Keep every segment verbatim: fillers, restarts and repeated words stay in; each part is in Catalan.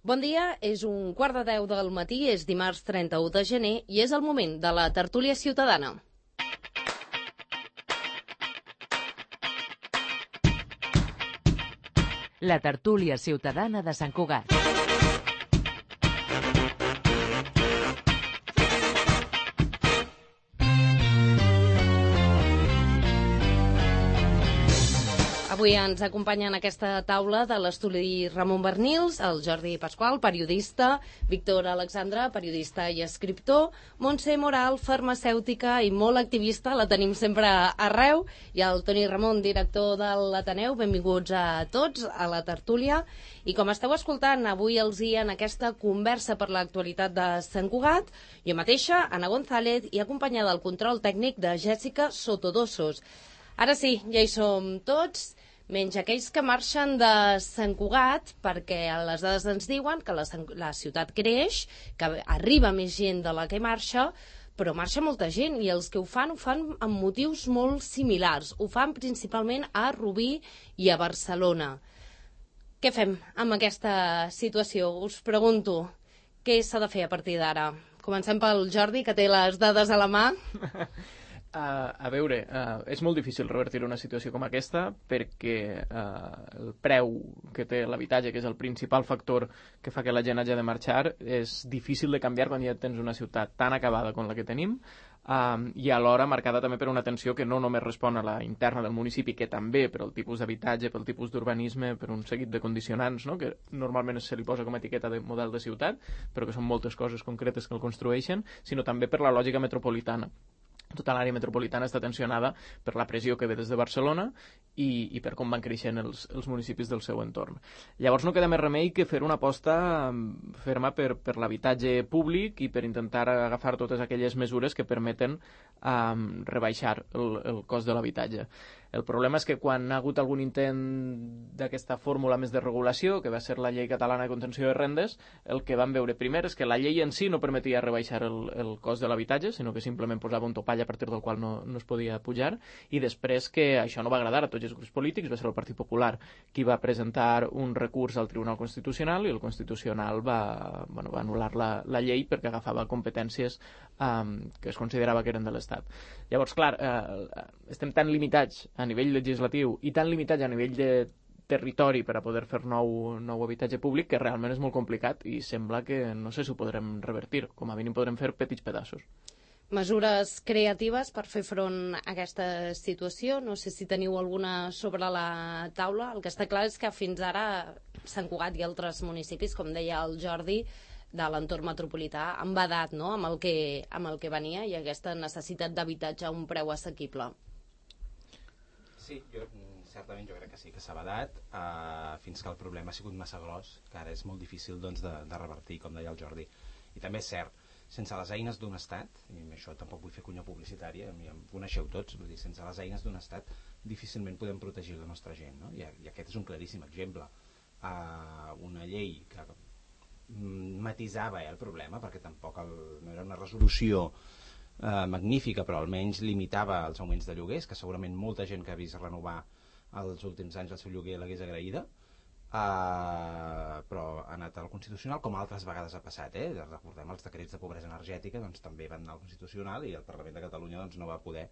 Bon dia, és un quart de deu del matí, és dimarts trenta-u de gener i és el moment de la tertúlia ciutadana. La tertúlia ciutadana de Sant Cugat. Avui ens acompanya en aquesta taula de l'estudi Ramon Bernils, el Jordi Pasqual, periodista, Víctor Alexandre, periodista i escriptor, Montse Moral, farmacèutica i molt activista, la tenim sempre arreu, i el Toni Ramon, director de l'Ateneu. Benvinguts a tots a la tertúlia. I com esteu escoltant avui els hi en aquesta conversa per l'actualitat de Sant Cugat, jo mateixa, Anna González, i acompanyada del control tècnic de Jèssica Sotodosos. Ara sí, ja hi som tots, menys aquells que marxen de Sant Cugat, perquè les dades ens diuen que la, la ciutat creix, que arriba més gent de la que marxa, però marxa molta gent, i els que ho fan, ho fan amb motius molt similars. Ho fan principalment a Rubí i a Barcelona. Què fem amb aquesta situació? Us pregunto, què s'ha de fer a partir d'ara? Comencem pel Jordi, que té les dades a la mà. Uh, a veure, uh, és molt difícil revertir una situació com aquesta perquè uh, el preu que té l'habitatge, que és el principal factor que fa que la gent hagi de marxar, és difícil de canviar quan ja tens una ciutat tan acabada com la que tenim, um, i alhora marcada també per una tensió que no només respon a la interna del municipi, que també per el tipus d'habitatge, pel tipus d'urbanisme, per un seguit de condicionants, no?, que normalment se li posa com a etiqueta de model de ciutat, però que són moltes coses concretes que el construeixen, sinó també per la lògica metropolitana. Tota l'àrea metropolitana està tensionada per la pressió que ve des de Barcelona i, i per com van creixent els, els municipis del seu entorn. Llavors no queda més remei que fer una aposta ferma per, per l'habitatge públic i per intentar agafar totes aquelles mesures que permeten um, rebaixar el, el cost de l'habitatge. El problema és que quan ha hagut algun intent d'aquesta fórmula més de regulació, que va ser la llei catalana de contenció de rendes, el que vam veure primer és que la llei en si no permetia rebaixar el, el cost de l'habitatge, sinó que simplement posava un topall a partir del qual no, no es podia pujar, i després que això no va agradar a tots els grups polítics, va ser el Partit Popular qui va presentar un recurs al Tribunal Constitucional, i el Constitucional va, bueno, va anul·lar la, la llei perquè agafava competències um, que es considerava que eren de l'Estat. Llavors, clar, eh, estem tan limitats a nivell legislatiu i tan limitats a nivell de territori per a poder fer nou, nou habitatge públic que realment és molt complicat i sembla que no sé si ho podrem revertir. Com a mínim podrem fer petits pedaços. Mesures creatives per fer front a aquesta situació. No sé si teniu alguna sobre la taula. El que està clar és que fins ara Sant Cugat i altres municipis, com deia el Jordi, de l'entorn metropolità, han badat, no?, amb el que, amb el que venia i aquesta necessitat d'habitatge a un preu assequible. Sí, jo, certament jo crec que sí que s'ha badat uh, fins que el problema ha sigut massa gros, que ara és molt difícil doncs, de, de revertir, com deia el Jordi. I també és cert, sense les eines d'un estat, i això tampoc vull fer cunya publicitària, em coneixeu tots, vull dir, sense les eines d'un estat difícilment podem protegir la nostra gent, no? I, i aquest és un claríssim exemple. Uh, una llei que matisava eh, el problema, perquè tampoc el, no era una resolució eh, magnífica, però almenys limitava els augments de lloguers, que segurament molta gent que ha vist renovar els últims anys el seu lloguer l'hagués agraïda, eh, però ha anat al Constitucional, com altres vegades ha passat. Eh? Recordem els decrets de pobresa energètica, doncs també van anar al Constitucional i el Parlament de Catalunya doncs, no va poder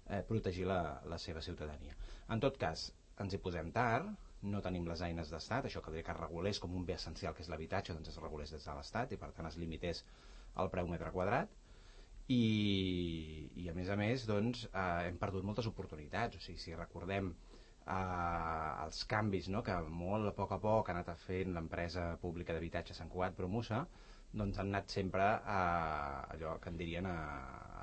eh, protegir la, la seva ciutadania. En tot cas, ens hi posem tard, no tenim les eines d'estat, això caldria que es regulés com un bé essencial que és l'habitatge, doncs es regulés des de l'estat i per tant es limités al preu metre quadrat, i, i a més a més doncs, eh, hem perdut moltes oportunitats. O sigui, si recordem eh, els canvis, no?, que molt a poc a poc ha anat fent l'empresa pública d'habitatge Sant Cugat Promusa, doncs han anat sempre a allò que en dirien a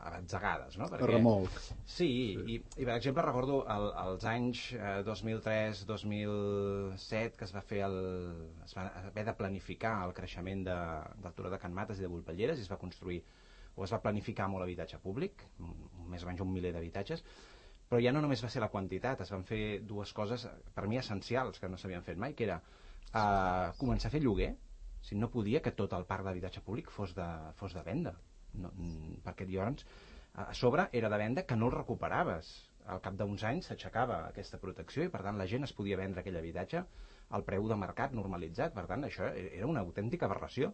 a batzegades, no? Perquè, a remolc. Sí, sí. I, i per exemple recordo el, els anys eh, dos mil tres dos mil set que es va fer el, es va haver de planificar el creixement de, del Turó de Can Mates i de Volpelleres, i es va construir o es va planificar molt habitatge públic, més o menys un miler d'habitatges, però ja no només va ser la quantitat, es van fer dues coses per mi essencials que no s'havien fet mai, que era eh, començar a fer lloguer. Si no podia que tot el parc d'habitatge públic fos de, fos de venda. No, perquè llavors a sobre era de venda que no el recuperaves, al cap d'uns anys s'aixecava aquesta protecció i per tant la gent es podia vendre aquell habitatge el preu de mercat normalitzat. Per tant, això era una autèntica aberració.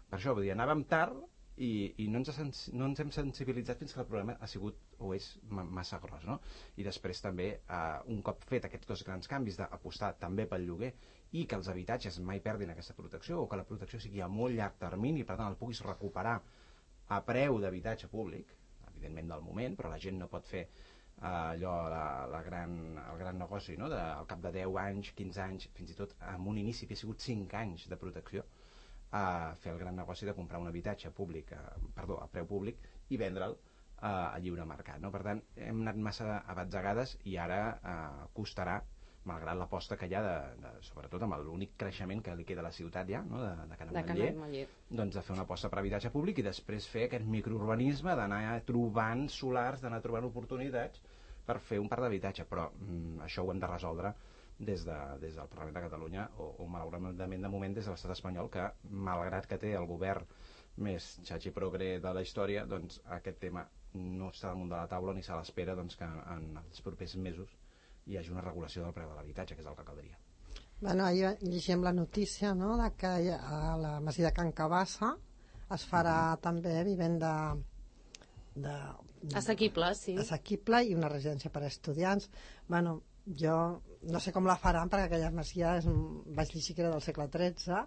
Per això, vull dir, anàvem tard i, i no, ens sens, no ens hem sensibilitzat fins que el problema ha sigut o és massa gros, no? I després també, eh, un cop fet aquests dos grans canvis d'apostar també pel lloguer i que els habitatges mai perdin aquesta protecció o que la protecció sigui a molt llarg termini, per tant el puguis recuperar a preu d'habitatge públic, evidentment del moment, però la gent no pot fer eh, allò, la, la gran, el gran negoci, no? De, al cap de deu anys, quinze anys, fins i tot amb un inici que ha sigut cinc anys de protecció, a fer el gran negoci de comprar un habitatge públic, a, perdó, a preu públic i vendre'l a, a lliure mercat, no? Per tant, hem anat massa abatzegades i ara eh, costarà, malgrat l'aposta que hi ha, de, de, sobretot amb l'únic creixement que li queda a la ciutat ja, no? de, de Can Ametller, doncs de fer una aposta per habitatge públic i després fer aquest microurbanisme, d'anar trobant solars, d'anar trobant oportunitats per fer un parc d'habitatge, però mm, això ho hem de resoldre des, de, des del Parlament de Catalunya o, o malauradament de moment des de l'estat espanyol, que malgrat que té el govern més xatxi progre de la història, doncs aquest tema no està damunt de la taula ni se l'espera doncs, que en els propers mesos hi hagi una regulació del preu de l'habitatge, que és el que caldria. Bueno, ahir llegim la notícia, no?, de que a la masia de Can Cabassa es farà mm-hmm. també vivenda de, de, assequible, sí. assequible i una residència per a estudiants. Bueno, jo no sé com la faran perquè aquella masia és, vaig llegir que era del segle tretze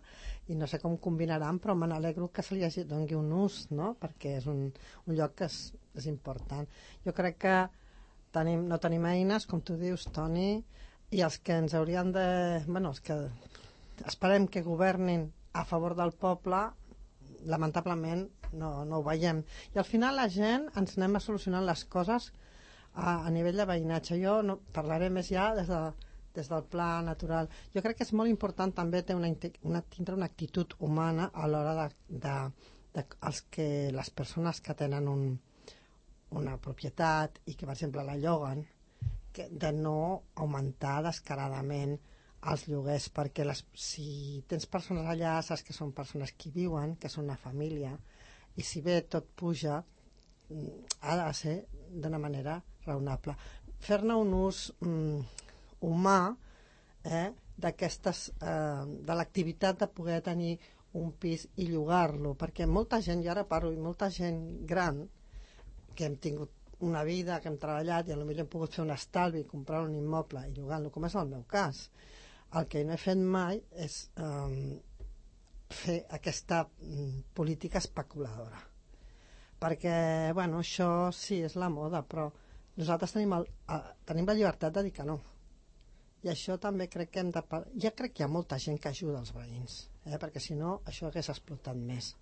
i no sé com combinaran, però me n'alegro que se li hagi, doni un ús, no?, perquè és un, un lloc que és, és important. Jo crec que tenim, no tenim eines, com tu dius, Toni, i els que ens haurien de... Bueno, els que esperem que governin a favor del poble, lamentablement no, no ho veiem. I al final la gent ens anem a solucionar les coses a, a nivell de veïnatge. Jo no, parlaré més ja des, de, des del pla natural. Jo crec que és molt important també ter una, una, tindre una actitud humana a l'hora de, de, de els que, les persones que tenen un una propietat i que, per exemple, la lloguen, que de no augmentar descaradament els lloguers, perquè les, si tens persones allà, saps que són persones que viuen, que són una família, i si bé tot puja, ha de ser d'una manera raonable. Fer-ne un ús mm, humà eh, d'aquestes, eh, de l'activitat de poder tenir un pis i llogar-lo, perquè molta gent, jo ara parlo, i molta gent gran, que hem tingut una vida, que hem treballat i potser hem pogut fer un estalvi, comprar un immoble i llogar-lo, com és el meu cas. El que no he fet mai és um, fer aquesta um, política especuladora. Perquè, bueno, això sí, és la moda, però nosaltres tenim, el, uh, tenim la llibertat de dir que no. I això també crec que hem de... Ja crec que hi ha molta gent que ajuda els veïns, eh? Perquè si no, això hagués explotat més.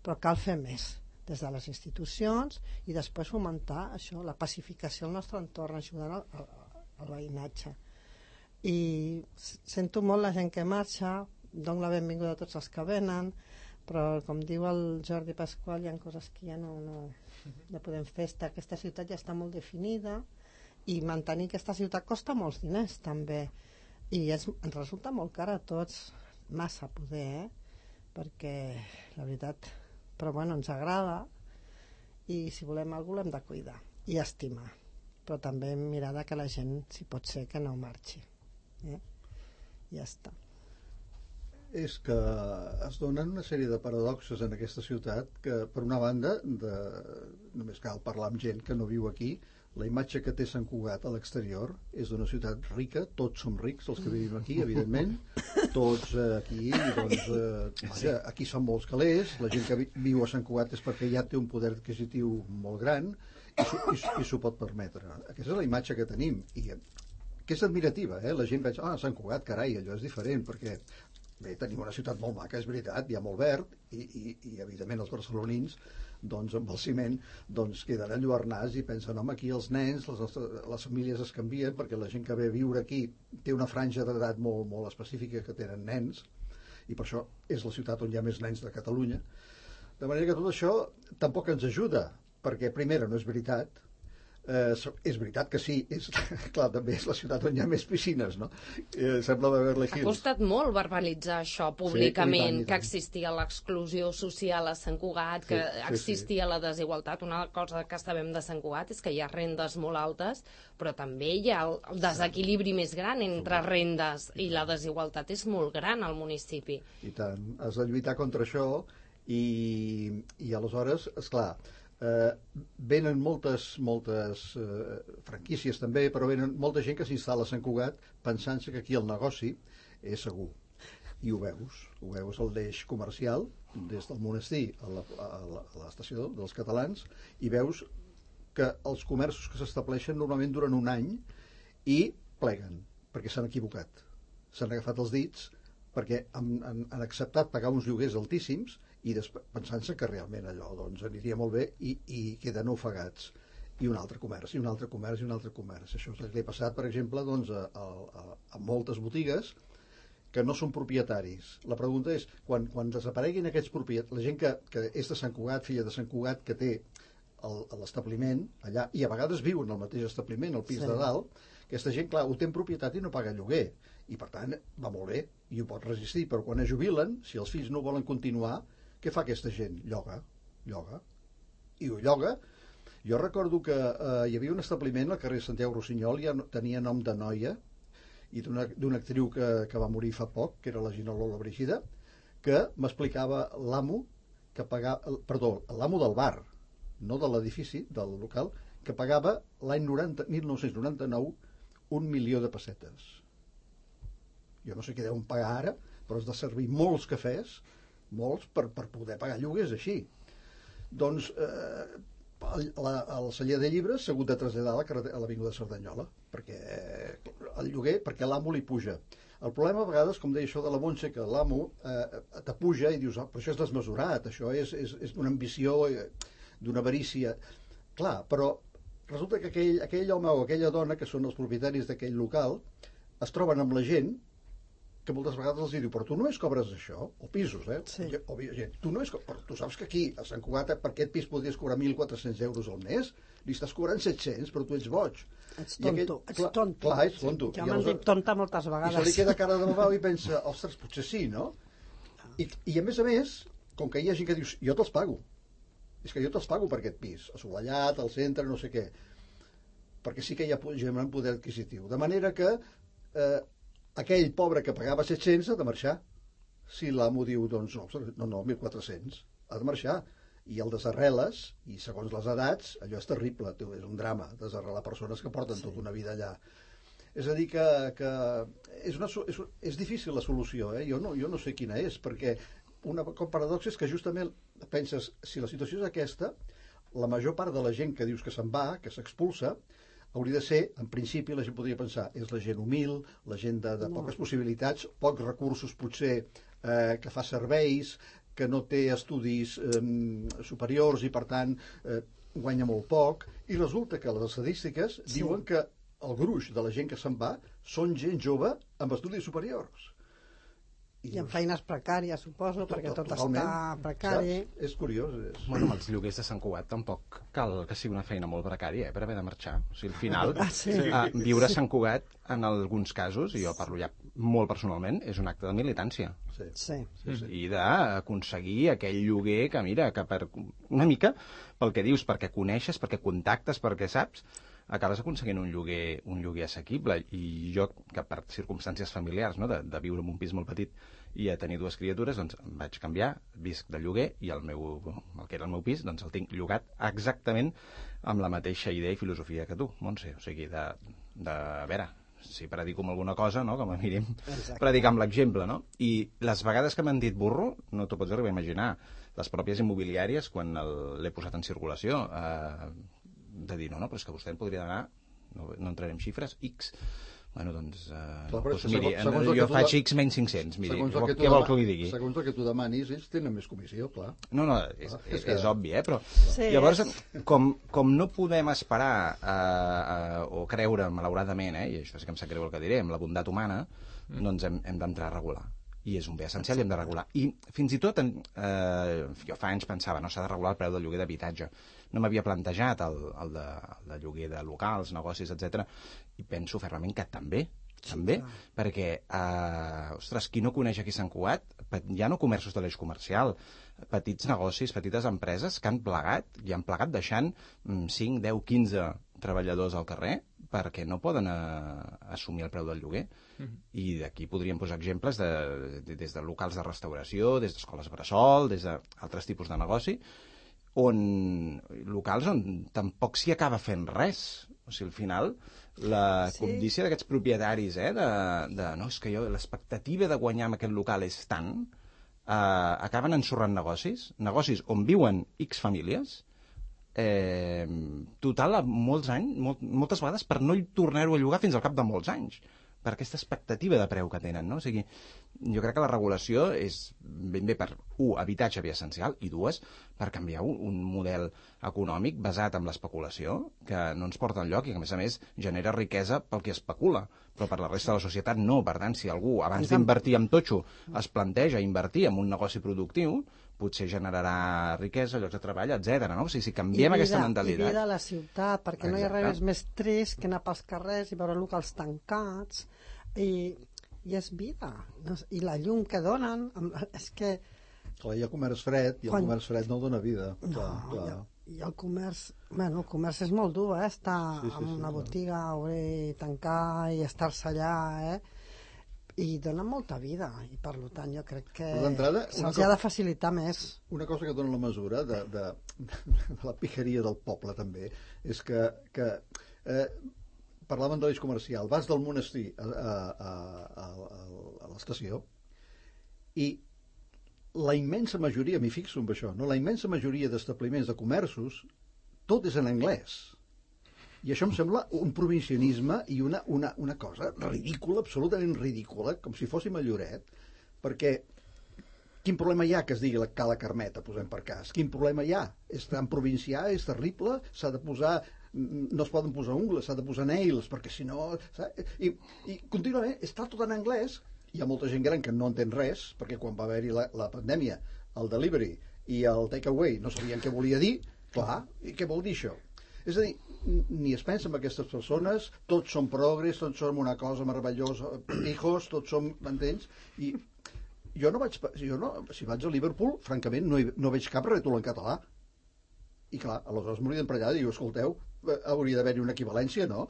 Però cal fer més des de les institucions i després fomentar això, la pacificació al nostre entorn, ajudant al, al, al veïnatge. I sento molt la gent que marxa, dono la benvinguda a tots els que venen, però com diu el Jordi Pasqual, hi ha coses que ja no, no, no podem fer. Aquesta ciutat ja està molt definida i mantenir aquesta ciutat costa molts diners també, i és, ens resulta molt car a tots, massa poder, eh? Perquè la veritat, però bueno, ens agrada i si volem alguna cosa l'hem de cuidar i estimar, però també mirar que la gent, si pot ser, que no marxi, eh? Ja està. És que es donen una sèrie de paradoxes en aquesta ciutat que, per una banda, de... només cal parlar amb gent que no viu aquí, la imatge que té Sant Cugat a l'exterior és d'una ciutat rica, tots som rics els que vivim aquí, evidentment, tots eh, aquí, doncs, eh, vaja, aquí són molts calés, la gent que vi viu a Sant Cugat és perquè ja té un poder adquisitiu molt gran i s'ho pot permetre. Aquesta és la imatge que tenim i que és admirativa, eh? La gent veig, ah, Sant Cugat, carai, allò és diferent, perquè bé, tenim una ciutat molt maca, és veritat, hi ha molt verd i, i, i evidentment els barcelonins doncs amb el ciment doncs queden enlluernats i pensen, home, aquí els nens, les, nostres, les famílies es canvien perquè la gent que ve a viure aquí té una franja d'edat molt, molt específica que tenen nens i per això és la ciutat on hi ha més nens de Catalunya. De manera que tot això tampoc ens ajuda, perquè primera no és veritat, Eh, és veritat que sí, és, clar, també és la ciutat on hi ha més piscines, no? Eh, sembla Beverly Hills. Ha costat molt verbalitzar això públicament, sí, que existia l'exclusió social a Sant Cugat, que sí, sí, existia sí. la desigualtat. Una cosa que sabem de Sant Cugat és que hi ha rendes molt altes, però també hi ha el desequilibri més gran entre rendes i la desigualtat és molt gran al municipi. I tant, has de lluitar contra això i, i aleshores, esclar, Eh, venen moltes, moltes eh, franquícies també, però venen molta gent que s'instal·la a Sant Cugat pensant-se que aquí el negoci és segur. I ho veus, ho veus al deix comercial, des del monestir a la, a l'estació dels catalans, i veus que els comerços que s'estableixen normalment duren un any i pleguen, perquè s'han equivocat. S'han agafat els dits perquè han, han, han acceptat pagar uns lloguers altíssims i pensant-se que realment allò doncs, aniria molt bé i, i queden ofegats. I un altre comerç, i un altre comerç, i un altre comerç. Això és el que li ha passat, per exemple, doncs, a, a, a moltes botigues que no són propietaris. La pregunta és, quan, quan desapareguin aquests propietaris, la gent que, que és de Sant Cugat, filla de Sant Cugat, que té l'establiment allà, i a vegades viuen al mateix establiment, al pis sí. de dalt, aquesta gent, clar, ho té en propietat i no paga lloguer. I, per tant, va molt bé, i ho pot resistir. Però quan es jubilen, si els fills no volen continuar, què fa aquesta gent? Lloga, lloga, i ho lloga. Jo recordo que eh, hi havia un establiment al carrer Santiago Rossinyol, ja tenia nom de noia, i d'una actriu que, que va morir fa poc, que era la Gina Lola Brigida, que m'explicava l'amo, que pagava, perdó, l'amo del bar, no de l'edifici, del local, que pagava l'any mil nou-cents noranta-nou un milió de pessetes. Jo no sé què deuen pagar ara, però has de servir molts cafès, molts, per, per poder pagar lloguers així. Doncs eh, el, la, el celler de llibres s'ha hagut de traslladar a l'avinguda de Cerdanyola, perquè el lloguer, perquè l'amo li puja. El problema a vegades, com deia això de la Montse, que l'amo eh, t'apuja i dius, oh, però això és desmesurat, això és, és, és d'una ambició, d'una avarícia. Clar, però resulta que aquell, aquell home o aquella dona, que són els propietaris d'aquell local, es troben amb la gent que moltes vegades els diu, però tu només cobres això, o pisos, eh? Sí. O, gent, tu, només, però tu saps que aquí, a Sant Cugat, per aquest pis podries cobrar mil quatre-cents euros al mes, li estàs cobrant set-cents, però tu ets boig. Ets tonto, aquell, ets clar, tonto. Clar, ets tonto. Jo m'han dit tonta moltes vegades. I se li queda cara de babau i pensa, ostres, potser sí, no? I, I a més a més, com que hi ha gent que dius, jo te'ls pago. És que jo te'ls pago per aquest pis, assolellat, al centre, no sé què. Perquè sí que hi ha gent amb poder adquisitiu. De manera que eh, aquell pobre que pagava set-cents ha de marxar. Si l'amo diu, doncs, no, no, mil quatre-cents, ha de marxar. I el desarreles, i segons les edats, allò és terrible, és un drama, desarrelar persones que porten sí. tota una vida allà. És a dir, que, que és, una, és, és difícil la solució, eh? jo, no, jo no sé quina és, perquè una paradoxa és que justament penses, si la situació és aquesta, la major part de la gent que dius que se'n va, que s'expulsa, hauria de ser, en principi, la gent podria pensar, és la gent humil, la gent de, de poques possibilitats, pocs recursos potser, eh, que fa serveis, que no té estudis eh, superiors i, per tant, eh, guanya molt poc, i resulta que les estadístiques sí. diuen que el gruix de la gent que se'n va són gent jove amb estudis superiors. I amb feines precàries, suposo, tot, perquè tot totalment. Està precari. Saps? És curiós. És... Bueno, amb els lloguers de Sant Cugat tampoc cal que sigui una feina molt precària, eh, per haver de marxar. O sigui, al final, ah, sí. eh, viure a Sant Cugat, en alguns casos, i jo parlo ja molt personalment, és un acte de militància. Sí. Sí. Sí, sí. I d'aconseguir aquell lloguer que, mira, que per una mica, pel que dius, perquè coneixes, perquè contactes, perquè saps, acabes aconseguint un lloguer, un lloguer assequible. I jo, que per circumstàncies familiars, no, de, de viure en un pis molt petit i a tenir dues criatures, doncs em vaig canviar, visc de lloguer, i el, meu, el que era el meu pis, doncs el tinc llogat exactament amb la mateixa idea i filosofia que tu, Montse. O sigui, de, de a veure, si predico amb alguna cosa, no?, com a mínim, predicar amb l'exemple, no? I les vegades que m'han dit burro, no t'ho pots arribar a imaginar, les pròpies immobiliàries, quan l'he posat en circulació, eh, de dir, no, no, però és que vostè en podria donar, no, no entrarem xifres, X. Bueno, doncs, eh, Clar, doncs segons, miri, segons jo faig de... X menys cinc-cents, miri, què tu vol que li digui? Segons el que tu demanis, ells tenen més comissió, clar. No, no, és, és, és, és obvi, eh, però sí. llavors, com, com no podem esperar eh, eh, o creure, malauradament, eh, i això sí que em sap greu el que diré, amb la bondat humana, mm. doncs hem, hem d'entrar a regular. i és un bé essencial i hem de regular. I fins i tot, eh, jo fa anys pensava, no, s'ha de regular el preu del lloguer d'habitatge. No m'havia plantejat el, el, de, el de lloguer de locals, negocis, etcètera. I penso fermament que també, també, sí, perquè, eh, ostres, qui no coneix aquí Sant Cugat, ja no comerços de l'eix comercial, petits negocis, petites empreses que han plegat, i han plegat deixant cinc, deu, quinze treballadors al carrer perquè no poden eh, assumir el preu del lloguer. Mm-hmm. I d'aquí podríem posar exemples de, de, des de locals de restauració, des d'escoles bressol, des d'altres tipus de negoci, on locals on tampoc s'hi acaba fent res. O sigui, al final, la sí. cobdícia d'aquests propietaris, eh, de, de no, és que jo l'expectativa de guanyar amb aquest local és tant, eh, acaben ensorrant negocis, negocis on viuen X famílies, eh, total, molts anys, molt, moltes vegades per no tornar-ho a llogar fins al cap de molts anys, per aquesta expectativa de preu que tenen, no? O sigui, jo crec que la regulació és ben bé per, un, habitatge bé essencial, i dues, per canviar un, un model econòmic basat en l'especulació, que no ens porta enlloc i que, a més a més, genera riquesa pel que especula, però per la resta de la societat no. Per tant, si algú, abans d'invertir en totxo, es planteja invertir en un negoci productiu, potser generarà riquesa, llocs de treball, etcètera. No? O sigui, si canviem vida, aquesta mentalitat... I vida a la ciutat, perquè Exacte. No hi ha res més trist que anar pels carrers i veure locals tancats, i, i és vida. I la llum que donen, és que... Clar, hi ha comerç fred, i el Quan... comerç fred no dona vida. No, clar, clar. I, i el comerç... Bueno, el comerç és molt dur, eh? Estar sí, sí, en una sí, botiga, clar. Obrir i tancar i estar-se allà, eh? I dona molta vida, i per tant jo crec que se'ls ha de facilitar més. Una cosa que dona la mesura de, de, de la picaria del poble també és que, que eh, parlàvem de l'eix comercial, vas del monestir a, a, a, a, a l'estació i la immensa majoria, m'hi fixo en això, no? La immensa majoria d'establiments de comerços tot és en anglès. I això em sembla un provincianisme i una, una, una cosa ridícula, absolutament ridícula, com si fóssim a Lloret, perquè quin problema hi ha que es digui la Cala Carmeta, posem per cas? Quin problema hi ha? És tan provincià, és terrible, s'ha de posar... no es poden posar ungles, s'ha de posar nails, perquè si no... I, i contínuament està tot en anglès. Hi ha molta gent gran que no entén res, perquè quan va haver-hi la, la pandèmia, el delivery i el takeaway no sabien què volia dir, clar, i què vol dir això? És a dir, ni es pensa en aquestes persones, tots som progres, tots som una cosa meravellosa, hijos, tots som, m'entens? I jo no vaig, jo no, si vaig a Liverpool, francament, no, hi, no veig cap rètol en català. I clar, aleshores m'haurien per allà i diu, escolteu, hauria d'haver-hi una equivalència, no?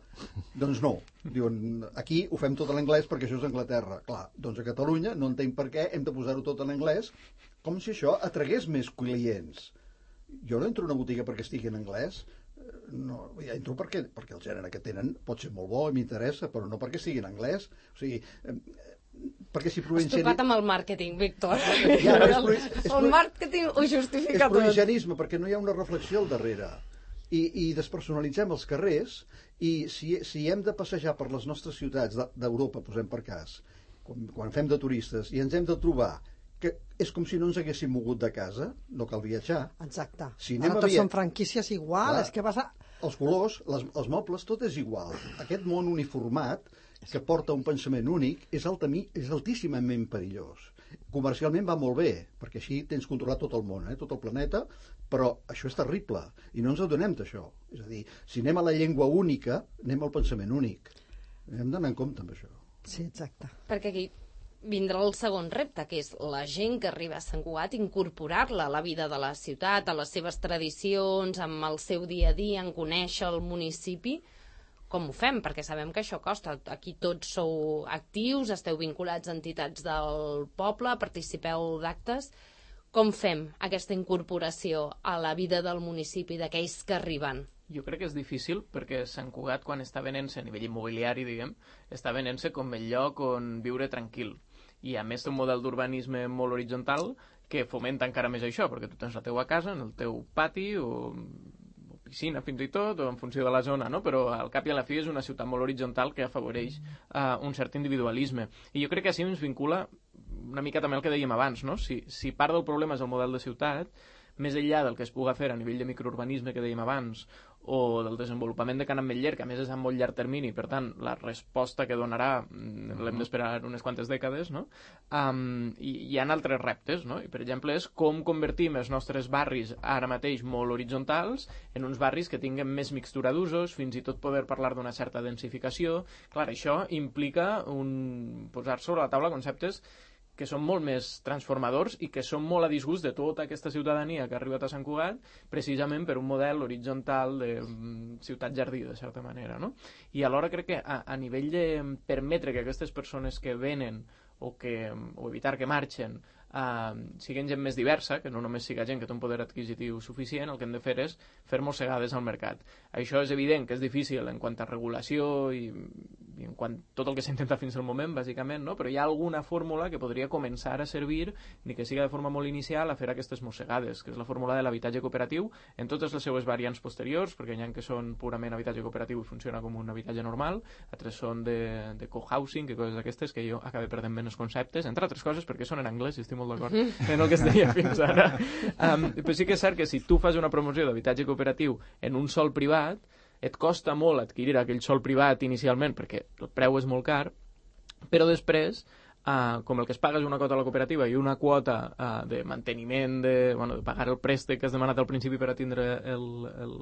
Doncs no. Diuen, aquí ho fem tot en anglès perquè això és Anglaterra. Clar, doncs a Catalunya no entenc per què hem de posar-ho tot en anglès, com si això atragués més clients. Jo no entro a una botiga perquè estigui en anglès, no, ja entro perquè, perquè el gènere que tenen pot ser molt bo i m'interessa, però no perquè sigui en anglès. O sigui, eh, perquè si provincianisme... Has tocat amb el màrqueting, Víctor. Ja, no, és provi... és el màrqueting ho justifica és tot. És provincianisme, perquè no hi ha una reflexió al darrere. I, i despersonalitzem els carrers, i si, si hem de passejar per les nostres ciutats d'Europa, posem per cas, quan, quan fem de turistes, i ens hem de trobar que és com si no ens haguéssim mogut de casa, no cal viatjar. Exacte. Si Ara tots via... són franquícies igual, clar, és que vas a... Els colors, les, els mobles, tot és igual. Aquest món uniformat, que porta un pensament únic, és, altami, és altíssimament perillós. Comercialment va molt bé, perquè així tens controlat tot el món, eh, tot el planeta, però això és terrible, i no ens adonem d'això. És a dir, si anem a la llengua única, anem al pensament únic. Hem d'anar en compte amb això. Sí, exacte. Perquè aquí vindrà el segon repte, que és la gent que arriba a Sant Cugat, incorporar-la a la vida de la ciutat, a les seves tradicions, amb el seu dia a dia, en conèixer el municipi. Com ho fem? Perquè sabem que això costa. Aquí tots sou actius, esteu vinculats a entitats del poble, participeu d'actes. Com fem aquesta incorporació a la vida del municipi d'aquells que arriben? Jo crec que és difícil perquè Sant Cugat, quan està venent-se a nivell immobiliari, diguem, està venent-se com el lloc on viure tranquil. I a més té un model d'urbanisme molt horitzontal que fomenta encara més això, perquè tu tens la teua casa, en el teu pati o, o piscina fins i tot, o en funció de la zona, no? Però al cap i a la fi és una ciutat molt horitzontal que afavoreix uh, un cert individualisme. I jo crec que així ens vincula una mica també el que dèiem abans, no? Si, si part del problema és el model de ciutat, més enllà del que es puga fer a nivell de microurbanisme que dèiem abans, o del desenvolupament de Can Ametller, que a més és a molt llarg termini, per tant, la resposta que donarà l'hem d'esperar unes quantes dècades, no? Um, i hi ha altres reptes, no? I, per exemple, és com convertim els nostres barris ara mateix molt horitzontals en uns barris que tinguen més mixtura d'usos, fins i tot poder parlar d'una certa densificació. Clar, això implica un... posar sobre la taula conceptes que són molt més transformadors i que són molt a disgust de tota aquesta ciutadania que ha arribat a Sant Cugat precisament per un model horitzontal de ciutat-jardí, de certa manera, no? I alhora crec que a, a nivell de permetre que aquestes persones que venen o, que, o evitar que marxen uh, siguin gent més diversa, que no només siga gent que té un poder adquisitiu suficient, el que hem de fer és fer mossegades al mercat. Això és evident que és difícil en quant a regulació i, i en quant a tot el que s'ha intentat fins al moment, bàsicament, no? Però hi ha alguna fórmula que podria començar a servir, ni que siga de forma molt inicial, a fer aquestes mossegades, que és la fórmula de l'habitatge cooperatiu en totes les seues variants posteriors, perquè hi ha que són purament habitatge cooperatiu i funciona com un habitatge normal, altres són de, de co-housing, que coses d'aquestes que jo acabé perdent ben els conceptes, entre altres coses perquè són en anglès i estic molt d'acord en el que es deia fins ara. Um, però sí que és cert que si tu fas una promoció d'habitatge cooperatiu en un sol privat, et costa molt adquirir aquell sol privat inicialment perquè el preu és molt car, però després, uh, com el que es paga és una quota a la cooperativa i una quota uh, de manteniment, de, bueno, de pagar el préstec que has demanat al principi per a tindre el, el,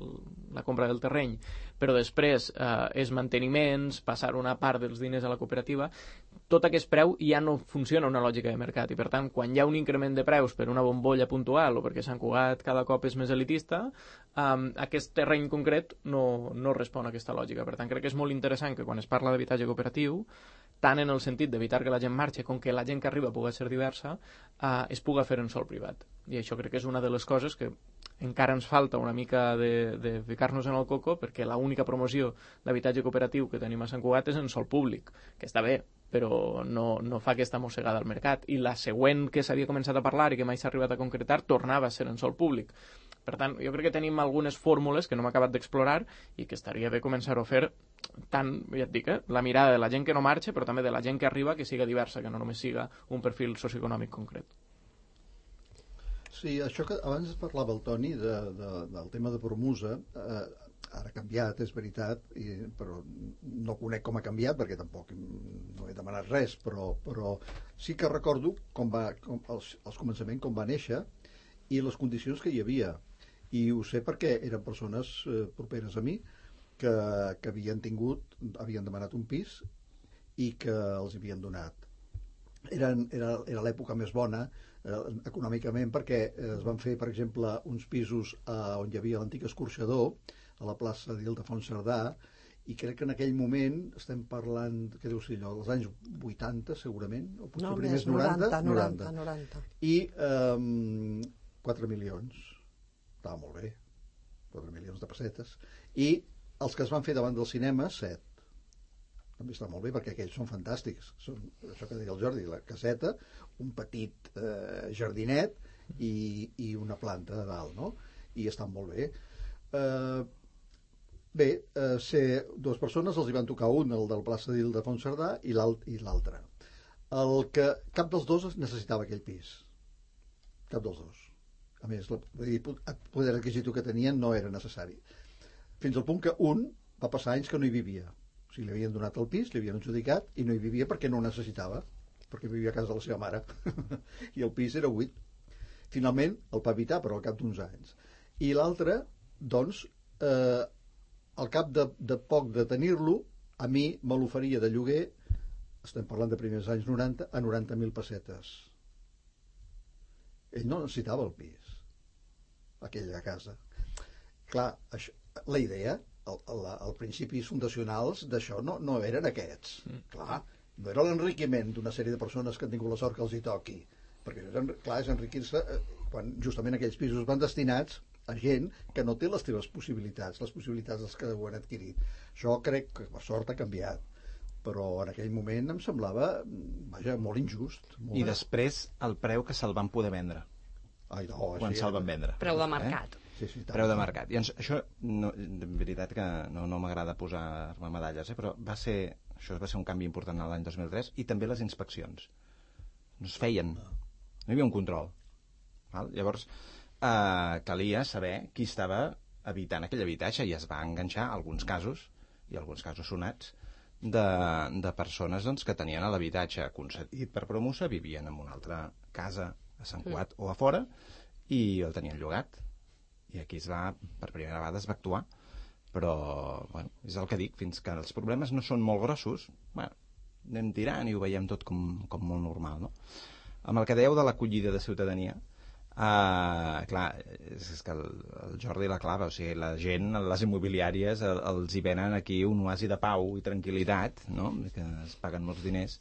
la compra del terreny, però després uh, és manteniments, passar una part dels diners a la cooperativa, tot aquest preu ja no funciona una lògica de mercat i per tant quan hi ha un increment de preus per una bombolla puntual o perquè Sant Cugat cada cop és més elitista, um, aquest terreny concret no, no respon a aquesta lògica. Per tant crec que és molt interessant que quan es parla d'habitatge cooperatiu, tant en el sentit d'evitar que la gent marxi com que la gent que arriba pugui ser diversa, uh, es puga fer en sol privat. I això crec que és una de les coses que encara ens falta una mica de, de ficar-nos en el coco perquè l'única promoció d'habitatge cooperatiu que tenim a Sant Cugat és en sol públic, que està bé, però no, no fa aquesta mossegada al mercat. I la següent que s'havia començat a parlar i que mai s'ha arribat a concretar tornava a ser en sol públic. Per tant, jo crec que tenim algunes fórmules que no hem acabat d'explorar i que estaria bé començar-ho a fer tant, ja et dic, eh, la mirada de la gent que no marxa, però també de la gent que arriba que siga diversa, que no només siga un perfil socioeconòmic concret. Sí, això que abans parlava el Toni de, de, del tema de Promusa, eh, ara ha canviat, és veritat, i, però no conec com ha canviat perquè tampoc no he demanat res, però, però sí que recordo com va, com, els, els començaments com va néixer i les condicions que hi havia. I ho sé perquè eren persones eh, properes a mi que, que havien tingut, havien demanat un pis i que els havien donat. Eren, era era l'època més bona eh, econòmicament perquè eh, es van fer, per exemple, uns pisos eh, on hi havia l'antic escorxador a la plaça d'Ildefons Cerdà, i crec que en aquell moment estem parlant, què deu ser allò, dels anys vuitanta segurament, o potser no, primers més, noranta, noranta, noranta. I um, quatre milions, estava molt bé, quatre milions de pessetes, i els que es van fer davant del cinema, set. També està molt bé perquè aquells són fantàstics, són això que deia el Jordi, la caseta, un petit eh, jardinet i, i una planta de dalt, no? I estan molt bé. Eh, Bé, eh, ser dues persones, els hi van tocar un, el del plaça d'Ildefons Cerdà, i l'altre. El que cap dels dos necessitava aquell pis. Cap dels dos. A més, el poder adquisitiu que tenien no era necessari. Fins al punt que un va passar anys que no hi vivia. O sigui, li havien donat el pis, li havien adjudicat, i no hi vivia perquè no ho necessitava, perquè vivia a casa de la seva mare. I el pis era buit. Finalment el va evitar, però al cap d'uns anys. I l'altre, doncs, eh, al cap de, de poc de tenir-lo, a mi me l'oferia de lloguer, estem parlant de primers anys noranta, a noranta mil pessetes. Ell no necessitava el pis, aquella casa. Clar, això, la idea, el, el, el principis fundacionals d'això no, no eren aquests. Mm. Clar, no era l'enriquiment d'una sèrie de persones que han tingut la sort que els hi toqui, perquè, clar, és enriquir-se quan justament aquells pisos van destinats a gent que no té les teves possibilitats, les possibilitats dels que ho han adquirit. Això crec que per sort ha canviat, però en aquell moment em semblava, vaja, molt injust. Molt... I després el preu que se'l van poder vendre. Ai, no, quan se'l van vendre. Preu de mercat. Eh? Sí, sí, preu de mercat. I ens, això, no, de veritat que no, no m'agrada posar-me medalles, eh? Però va ser, això va ser un canvi important l'any dos mil tres, i també les inspeccions. No es feien. No hi havia un control. Val? Llavors, Uh, calia saber qui estava habitant aquell habitatge i es va enganxar alguns casos, i alguns casos sonats, de, de persones doncs, que tenien l'habitatge concedit per Promusa, vivien en una altra casa a Sant Cugat mm. o a fora, i el tenien llogat. I aquí es va, per primera vegada es va actuar. Però, bueno, és el que dic, fins que els problemes no són molt grossos, bueno, anem tirant i ho veiem tot com, com molt normal, no? Amb el que dèieu de l'acollida de ciutadania, Uh, clar, és, és que el, el Jordi la clava, o sigui, la gent, les immobiliàries el, els hi venen aquí un oasi de pau i tranquil·litat, no? Que es paguen molts diners,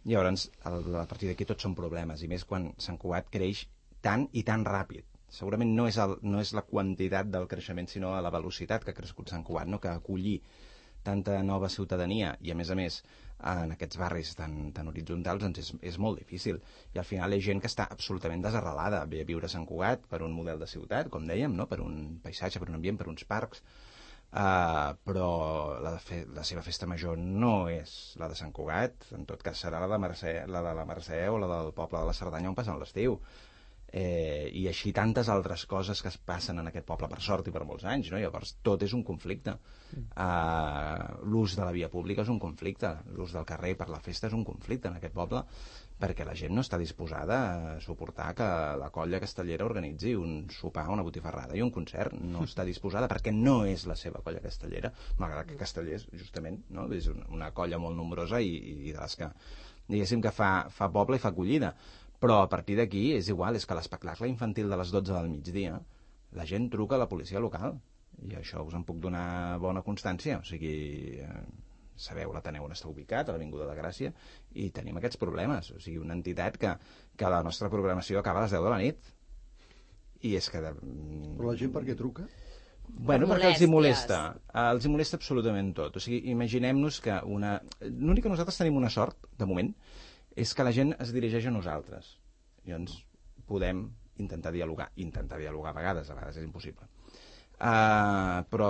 i llavors el, a partir d'aquí tots són problemes, i més quan Sant Cugat creix tant i tan ràpid. Segurament no és, el, no és la quantitat del creixement, sinó la velocitat que ha crescut Sant Cugat, no? Que acollir tanta nova ciutadania i, a més a més, en aquests barris tan, tan horitzontals, doncs és, és molt difícil. I al final hi ha gent que està absolutament desarrelada, ve a viure a Sant Cugat per un model de ciutat, com dèiem, no? Per un paisatge, per un ambient, per uns parcs, uh, però la, fe, la seva festa major no és la de Sant Cugat, en tot cas serà la de, Mercè, la de la Mercè o la del poble de la Cerdanya on passen l'estiu. Eh, i així tantes altres coses que es passen en aquest poble per sort i per molts anys, no? Llavors tot és un conflicte. Uh, l'ús de la via pública és un conflicte, l'ús del carrer per la festa és un conflicte en aquest poble, perquè la gent no està disposada a suportar que la colla castellera organitzi un sopar, una botifarrada i un concert. No està disposada perquè no és la seva colla castellera, malgrat que Castellers, justament, no? És una colla molt nombrosa i, i de les que, diguéssim, que fa, fa poble i fa acollida. Però a partir d'aquí és igual, és que l'espectacle infantil de les dotze del migdia la gent truca a la policia local, i això us en puc donar bona constància, o sigui, eh, sabeu l'Ateneu on està ubicat, a l'Avinguda de Gràcia, i tenim aquests problemes, o sigui, una entitat que, que la nostra programació acaba a les deu de la nit, i és que... De... Però la gent per què truca? Bueno, perquè els hi molesta, els hi molesta absolutament tot, o sigui, imaginem-nos que una... L'únic que nosaltres tenim una sort, de moment, és que la gent es dirigeix a nosaltres. Llavors podem intentar dialogar. Intentar dialogar a vegades, a vegades és impossible. Uh, però,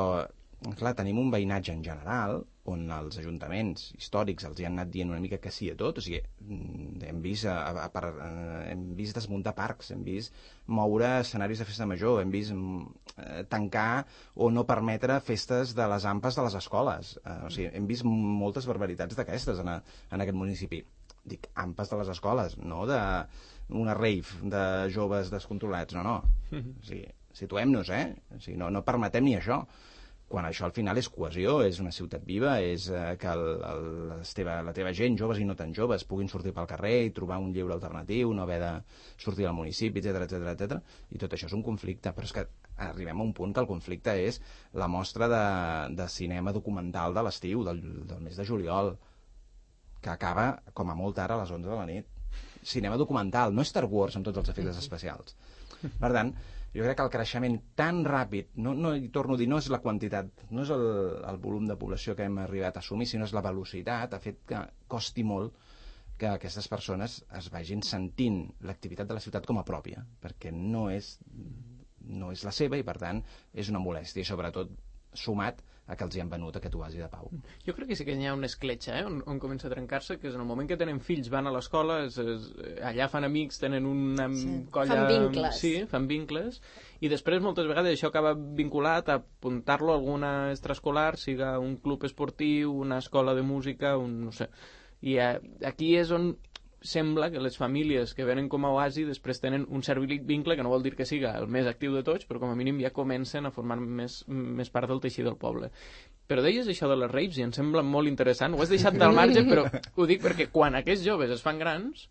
clar, tenim un veïnatge en general on els ajuntaments històrics els hi han anat dient una mica que sí a tot. O sigui, hem vist, a, a, a, a, hem vist desmuntar parcs, hem vist moure escenaris de festa major, hem vist uh, tancar o no permetre festes de les ampes de les escoles. Uh, o sigui, hem vist moltes barbaritats d'aquestes en, a, en aquest municipi. Dic, ampes de les escoles, no de una rave de joves descontrolats, no, no. O sigui, situem-nos, eh? O sigui, no, no permetem ni això. Quan això al final és cohesió, és una ciutat viva, és eh, que el, el, la, teva, la teva gent, joves i no tan joves, puguin sortir pel carrer i trobar un lleure alternatiu, no haver de sortir al municipi, etcètera, etcètera, etcètera. I tot això és un conflicte, però és que arribem a un punt que el conflicte és la mostra de, de cinema documental de l'estiu, del, del mes de juliol, que acaba, com a molt tard, a les onze de la nit. Cinema documental, no Star Wars amb tots els efectes especials. Per tant, jo crec que el creixement tan ràpid, no, no hi torno a dir, no és la quantitat, no és el, el volum de població que hem arribat a assumir, sinó és la velocitat, ha fet que costi molt que aquestes persones es vagin sentint l'activitat de la ciutat com a pròpia, perquè no és, no és la seva i, per tant, és una molèstia, i sobretot sumat a que els hi han venut aquest oasi de pau. Jo crec que sí que hi ha una escletxa, eh? on, on comença a trencar-se, que és en el moment que tenen fills, van a l'escola, es, es, allà fan amics, tenen una sí. colla... Fan vincles. Sí, fan vincles, i després moltes vegades això acaba vinculat a apuntar-lo a alguna extraescolar, siga un club esportiu, una escola de música, un, no sé. I a, aquí és on sembla que les famílies que venen com a oasi després tenen un cert vincle, que no vol dir que siga el més actiu de tots, però com a mínim ja comencen a formar més, més part del teixit del poble. Però deies això de les raves i em sembla molt interessant, ho has deixat del marge, però ho dic perquè quan aquests joves es fan grans,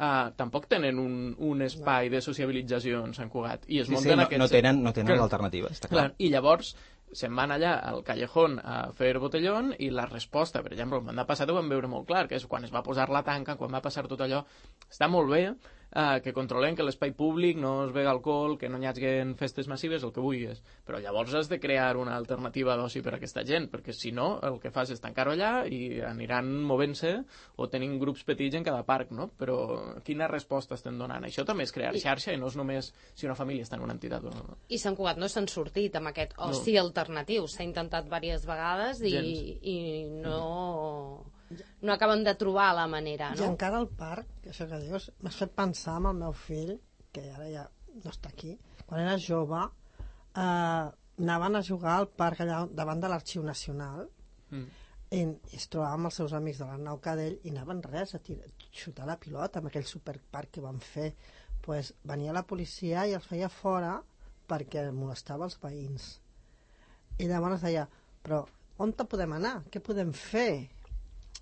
uh, tampoc tenen un, un espai de sociabilització en Sant Cugat. I es sí, munten sí, no, aquests... no tenen, no tenen l'alternativa, està clar. clar. I llavors se'n van allà al Callejón a fer botellón i la resposta, per exemple, el mandat passat ho vam veure molt clar, que és quan es va posar la tanca, quan va passar tot allò, està molt bé eh, que controlem que l'espai públic no es vega alcohol, que no hi hagin festes massives, el que vulguis, però llavors has de crear una alternativa d'oci per a aquesta gent, perquè si no el que fas és tancar-ho allà i aniran movent-se o tenint grups petits en cada parc, no? Però quina resposta estem donant? Això també és crear xarxa i no és només si una família està en una entitat o no. I Sant Cugat no s'han sortit amb aquest oci no. alternatiu, s'ha intentat diverses vegades i, i no... no acaben de trobar la manera, no? I encara al parc, això que dius, m'has fet pensar en el meu fill, que ara ja no està aquí, quan era jove, eh, anaven a jugar al parc allà davant de l'Arxiu Nacional mm. i, i es trobava amb els seus amics de l'Arnau Cadell i anaven res a tirar, xutar la pilota amb aquell superparc que van fer. Pues, venia la policia i els feia fora perquè molestava els veïns. I llavors deia, però on te podem anar? Què podem fer?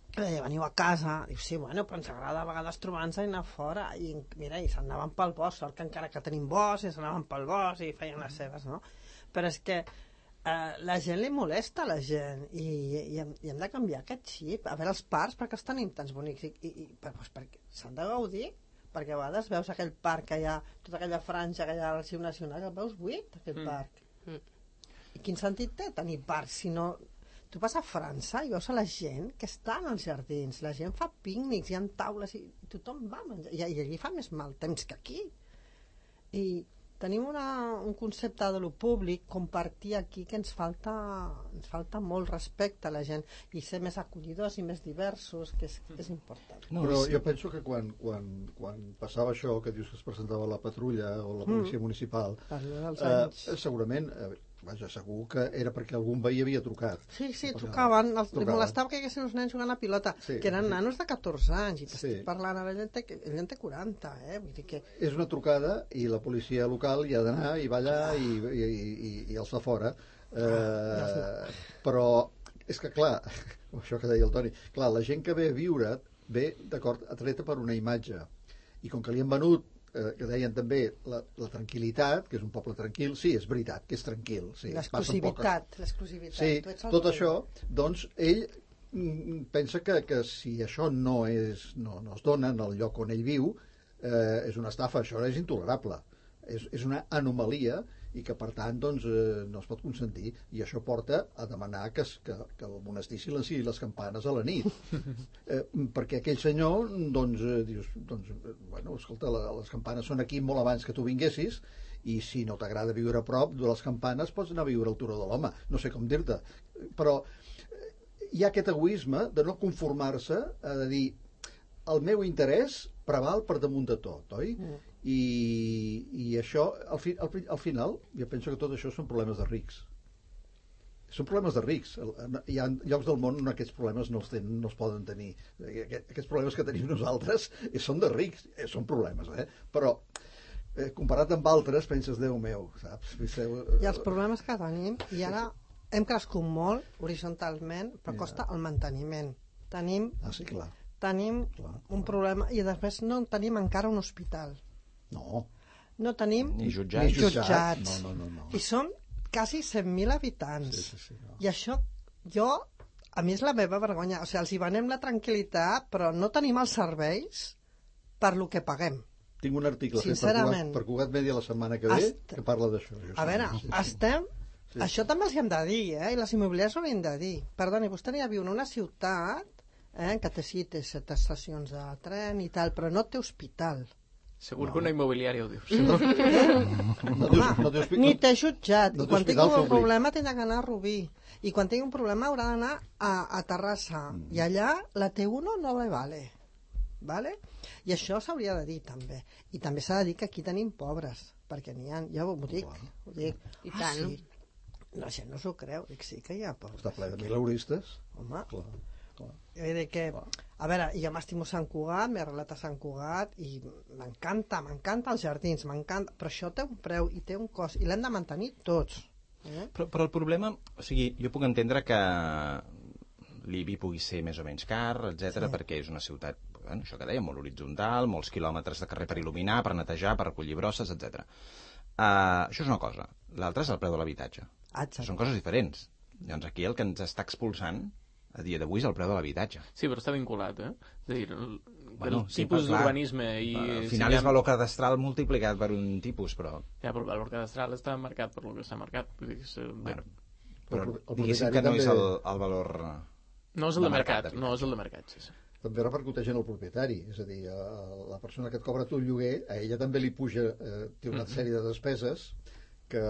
I deia, veniu a casa. Diu, sí, bueno, però ens agrada a vegades trobar-nos i anar fora. I mira, i s'anaven pel bosc, sort que encara que tenim bosc, i s'anaven pel bosc i feien les seves, no? Però és que eh, la gent li molesta a la gent i, i, hem, i hem de canviar aquest xip. A veure, els parcs, per què els tenim tants bonics? I, i, i per, doncs perquè s'han de gaudir, perquè a vegades veus aquell parc que hi ha, tota aquella franja que hi ha a l'Arxiu Nacional, el veus buit, aquest mm. parc. Mm. I quin sentit té tenir parcs si no... Tu vas a França i veus a la gent que està en els jardins, la gent fa pícnics, hi ha taules i tothom va a menjar, i, i allí fa més mal temps que aquí. I tenim una, un concepte de lo públic, compartir aquí, que ens falta, ens falta molt respecte a la gent i ser més acollidors i més diversos, que és, és important. No, però jo penso que quan, quan, quan passava això, que dius que es presentava la patrulla o la policia mm. municipal, eh, segurament... Eh, vaja, segur que era perquè algun veí havia trucat. Sí, sí, trucaven, els, li molestava que hi haguessin uns nens jugant a pilota, sí, que eren sí. nanos de catorze anys, i t'estic sí. parlant, ara ell en té, ell en té quaranta, eh? Vull dir que... És una trucada i la policia local hi ha d'anar i va allà ah. i, i, i, i els fa fora. Eh, ah. Però és que, clar, això que deia el Toni, clar, la gent que ve a viure ve, d'acord, atreta per una imatge. I com que li han venut Eh, que deien també la, la tranquil·litat, que és un poble tranquil, sí, és veritat, que és tranquil. Sí, l'exclusivitat, l'exclusivitat. Sí, tot això, doncs, ell mm, pensa que, que si això no, és, no, no es dona en el lloc on ell viu, eh, és una estafa, això és intolerable. És, és una anomalia i que, per tant, doncs, eh, no es pot consentir. I això porta a demanar que, que, que el monestir silenciï les campanes a la nit. Eh, perquè aquell senyor, doncs, eh, dius, doncs, bueno, escolta, la, les campanes són aquí molt abans que tu vinguessis, i si no t'agrada viure a prop de les campanes, pots anar a viure al Turó de l'Home. No sé com dir-te. Però eh, hi ha aquest egoisme de no conformar-se, a de dir, el meu interès preval per damunt de tot, oi? Mm. I, i això, al, fi, al, al final, jo penso que tot això són problemes de rics. Són problemes de rics. Hi ha llocs del món on aquests problemes no els, ten, no els poden tenir. Aquests problemes que tenim nosaltres són de rics, són problemes, eh? Però eh, comparat amb altres, penses, Déu meu, saps? I els problemes que tenim, i ara hem crescut molt horitzontalment, però costa el manteniment. Tenim... Ah, sí, clar. Tenim clar, un problema i després no tenim encara un hospital. No. No tenim ni jutjats. Ni jutjats. No, no, no, no. I som quasi cent mil habitants. Sí, sí, sí, no. I això, jo, a mi és la meva vergonya. O sigui, els hi venem la tranquil·litat, però no tenim els serveis per lo que paguem. Tinc un article fet per Cugat, per Cugat Media la setmana que ve Est... que parla d'això. A veure, sí, estem... Sí. Això també els hi hem de dir, eh? I les immobiliàries ho hem de dir. Perdoni, vostè n'hi ha viu en una ciutat eh, que té, sí, té set estacions de tren i tal, però no té hospital. Segur no. que una immobiliària ho dius. No, no, no, no, no ni t'he jutjat. No, I quan tingui un problema tindrà d'anar a Rubí. I quan tingui un problema haurà d'anar a, a Terrassa. Mm. I allà la T uno no le vale. Vale? I això s'hauria de dir també. I també s'ha de dir que aquí tenim pobres. Perquè n'hi ha... Jo ho dic. Ho dic. I tant. Ah, sí. La gent no s'ho creu. Dic, sí que hi ha pobres. Està ple de mileuristes. Home. Clar. Vull dir que, a veure, jo m'estimo Sant Cugat, m'he arrelat a Sant Cugat i m'encanta, m'encanta els jardins, m'encanta, però això té un preu i té un cost i l'hem de mantenir tots. Eh? Però, però el problema, o sigui, jo puc entendre que l'I B I pugui ser més o menys car, etcètera, sí. perquè és una ciutat, bueno, això que dèiem, molt horitzontal, molts quilòmetres de carrer per il·luminar, per netejar, per recollir brosses, etcètera. Uh, això és una cosa. L'altra és el preu de l'habitatge. Són coses diferents. Llavors aquí el que ens està expulsant a dia d'avui és el preu de l'habitatge. Sí, però està vinculat, eh? És a dir, el, bueno, el sí, tipus d'urbanisme... I al final si és valor cadastral multiplicat per un tipus, però... Ja, però el valor cadastral està marcat per lo que està marcat. Vull dir, és, bueno, però el, el diguéssim que no també... és el, el valor... No és el de, de mercat, mercat no és el de mercat, sí, sí. També repercuteix en el propietari, és a dir, a la persona que et cobra tu el lloguer, a ella també li puja, eh, té una sèrie de despeses que,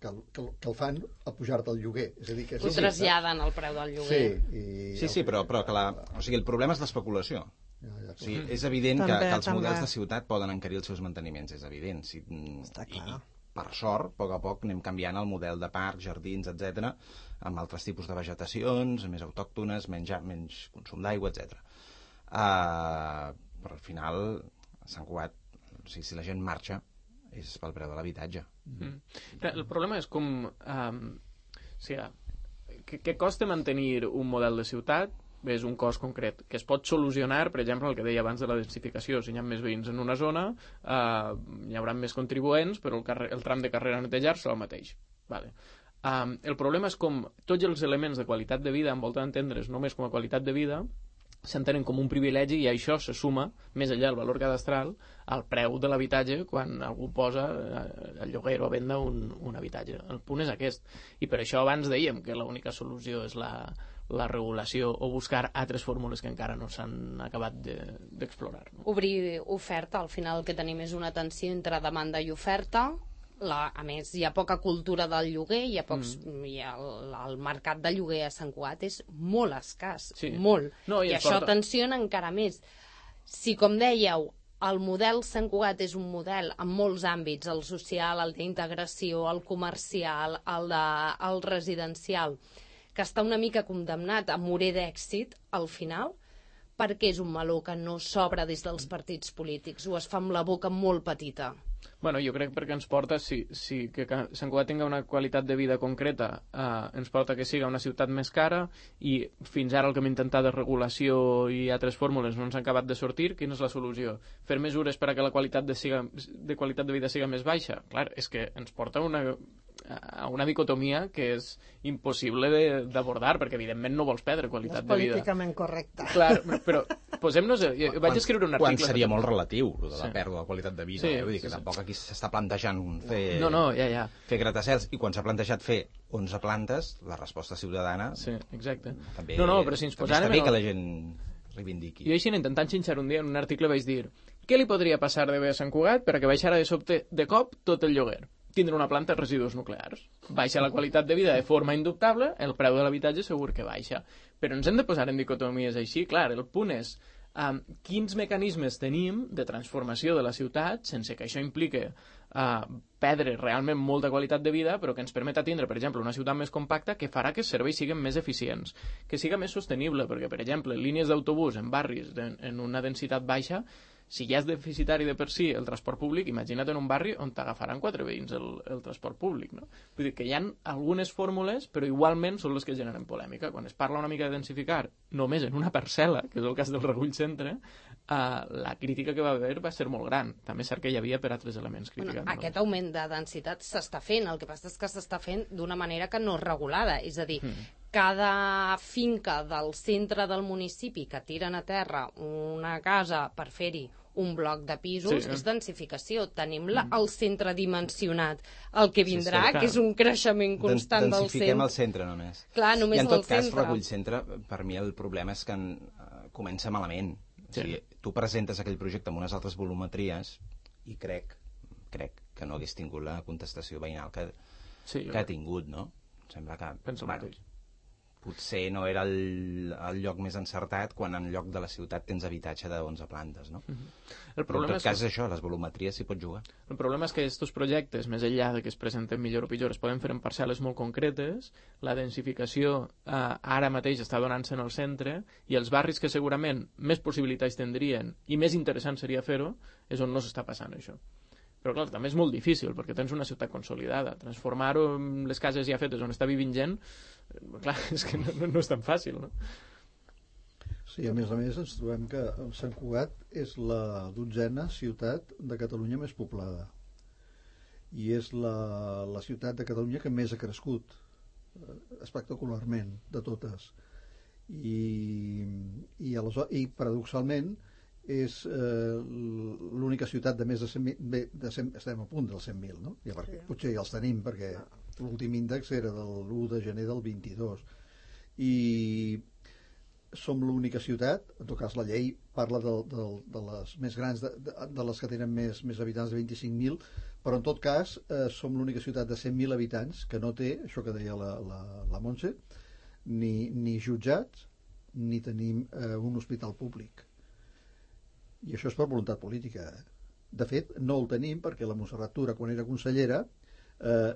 que, que, que el fan a pujar-te el lloguer. És a dir, que ho sí, traslladen al preu del lloguer. Sí, i sí, sí, però, però que la, o sigui, el problema és l'especulació. Ja, ja, o sigui, és evident també, que, que els també. models de ciutat poden encarir els seus manteniments, és evident. Si, Està clar. per sort, a poc a poc anem canviant el model de parcs, jardins, etcètera, amb altres tipus de vegetacions, més autòctones, menys, menys consum d'aigua, etcètera. Uh, però al final, a Sant Cugat, o sigui, si la gent marxa, és pel preu de l'habitatge. Mm. El problema és com... Um, o sigui, què, què costa mantenir un model de ciutat? És un cost concret, que es pot solucionar, per exemple, el que deia abans de la densificació. Si hi ha més veïns en una zona, eh, hi haurà més contribuents, però el, carrer, el tram de carrera a netejar serà el mateix. Vale. Um, el problema és com tots els elements de qualitat de vida, en volta d'entendre's només com a qualitat de vida, s'entenen com un privilegi i això se suma, més enllà del valor cadastral, al preu de l'habitatge quan algú posa a lloguer o a venda un, un habitatge. El punt és aquest. I per això abans dèiem que l'única solució és la, la regulació o buscar altres fórmules que encara no s'han acabat d'explorar. De, no? Obrir oferta, al final el que tenim és una tensió entre demanda i oferta. La, a més, hi ha poca cultura del lloguer, hi ha pocs, mm. hi ha el, el mercat de lloguer a Sant Cugat és molt escàs, sí. molt. No, i I això porta... tensiona encara més. Si, com dèieu, el model Sant Cugat és un model en molts àmbits, el social, el d'integració, el comercial, el, de, el residencial, que està una mica condemnat a morir d'èxit al final, perquè és un meló que no s'obre des dels partits polítics, o es fa amb la boca molt petita. Bueno, jo crec perquè ens porta, si, si que Sant Cugat tingui una qualitat de vida concreta, eh, ens porta que siga una ciutat més cara i fins ara el que hem intentat de regulació i altres fórmules no ens han acabat de sortir. Quina és la solució? Fer mesures per a que la qualitat de, siga, de qualitat de vida siga més baixa? Clar, és que ens porta una, a una dicotomia que és impossible d'abordar, perquè evidentment no vols perdre qualitat de vida. És políticament correcte. Clar, però posem-nos... Vaig quan, escriure un article... Quan seria molt relatiu, lo de la sí. pèrdua de qualitat de vida. Sí, eh? Vull dir que sí, tampoc sí. aquí s'està plantejant fer, no, no, ja, ja. fer gratacels, i quan s'ha plantejat fer onze plantes, la resposta ciutadana... Sí, exacte. També, no, no, però si ens posàrem... Està bé que la gent reivindiqui. Jo així intentant xinxar un dia en un article vaig dir què li podria passar de bé a Sant Cugat per a que baixara de sobte de cop tot el lloguer? Tindre una planta de residus nuclears. Baixa la qualitat de vida de forma indubtable, el preu de l'habitatge segur que baixa. Però ens hem de posar en dicotomies així. Clar, el punt és um, quins mecanismes tenim de transformació de la ciutat sense que això implique uh, perdre realment molta qualitat de vida, però que ens permeta tindre, per exemple, una ciutat més compacta que farà que els serveis siguin més eficients, que siga més sostenible, perquè, per exemple, línies d'autobús en barris de, en una densitat baixa, si ja és deficitari de per si el transport públic, imagina't en un barri on t'agafaran quatre veïns el, el transport públic, no? Vull dir que hi ha algunes fórmules, però igualment són les que generen polèmica. Quan es parla una mica de densificar només en una parcel·la, que és el cas del Regull Centre, eh, la crítica que va haver va ser molt gran. També és cert que hi havia per altres elements criticant. Bueno, aquest augment de densitat s'està fent, el que passa és que s'està fent d'una manera que no és regulada, és a dir, mm. cada finca del centre del municipi que tiren a terra una casa per fer-hi un bloc de pisos, sí, és densificació. Tenim la, el centre dimensionat. El que vindrà, sí, sí, que és un creixement constant del centre. Densifiquem el centre només. Clar, només I en tot el cas, centre. Regull Centre, per mi el problema és que en, uh, comença malament. Sí. O sigui, tu presentes aquell projecte amb unes altres volumetries i crec, crec que no hagués tingut la contestació veïnal que, sí, que ha tingut, no? Sembla que... Penso bueno, mateix. Potser no era el, el lloc més encertat quan en lloc de la ciutat tens habitatge de onze plantes, no? Mm-hmm. El problema Però en tot cas és això, les volumetries s'hi pot jugar. El problema és que aquests projectes, més enllà de que es presenten millor o pitjor, es poden fer en parcel·les molt concretes, la densificació eh, ara mateix està donant-se en el centre, i els barris que segurament més possibilitats tindrien i més interessant seria fer-ho, és on no s'està passant això. Però clar, també és molt difícil, perquè tens una ciutat consolidada. Transformar-ho en les cases ja fetes on està vivint gent, clar, és que no, no és tan fàcil, no? Sí, a més a més ens trobem que Sant Cugat és la dotzena ciutat de Catalunya més poblada. I és la, la ciutat de Catalunya que més ha crescut, espectacularment, de totes. I, i, aleshores, i paradoxalment, és eh, l'única ciutat de més de cent mil, de cent, estem a punt dels cent mil, no? Ja, perquè, sí. Potser ja els tenim, perquè l'últim índex era de l'u de gener del vint-i-dos. I som l'única ciutat, en tot cas la llei parla de, de, de les més grans, de, de, de les que tenen més, més habitants de vint-i-cinc mil, però en tot cas eh, som l'única ciutat de cent mil habitants que no té, això que deia la, la, la Montse, ni, ni jutjats, ni tenim eh, un hospital públic. I això és per voluntat política. De fet, no el tenim perquè la Montserrat Tura, quan era consellera, eh,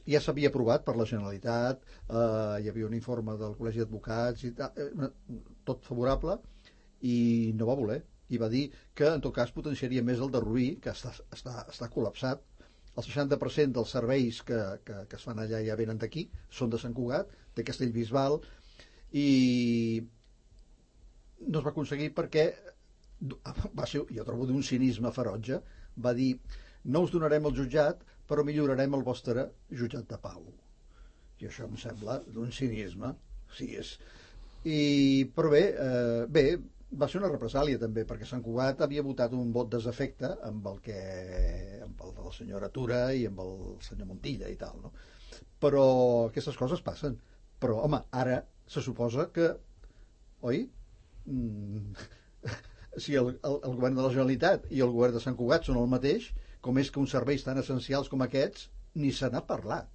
ja s'havia aprovat per la Generalitat, eh, hi havia un informe del Col·legi d'Advocats i tal, eh, tot favorable, i no va voler, i va dir que en tot cas potenciaria més el de Rubí, que està, està, està col·lapsat. El seixanta per cent dels serveis que, que, que es fan allà ja venen d'aquí, són de Sant Cugat, de Castellbisbal, i no es va aconseguir perquè va ser, jo trobo d'un cinisme ferotge, va dir no us donarem el jutjat però millorarem el vostre jutjat de pau, i això em sembla d'un cinisme. Sí, és... I, però bé, eh, bé va ser una represàlia també, perquè Sant Cugat havia votat un vot desafecte amb el que amb el de la senyora Tura i amb el senyor Montilla i tal, no? Però aquestes coses passen. Però, home, ara se suposa que, oi? Mm, si el, el, el govern de la Generalitat i el govern de Sant Cugat són el mateix, com és que uns serveis tan essencials com aquests ni se n'ha parlat?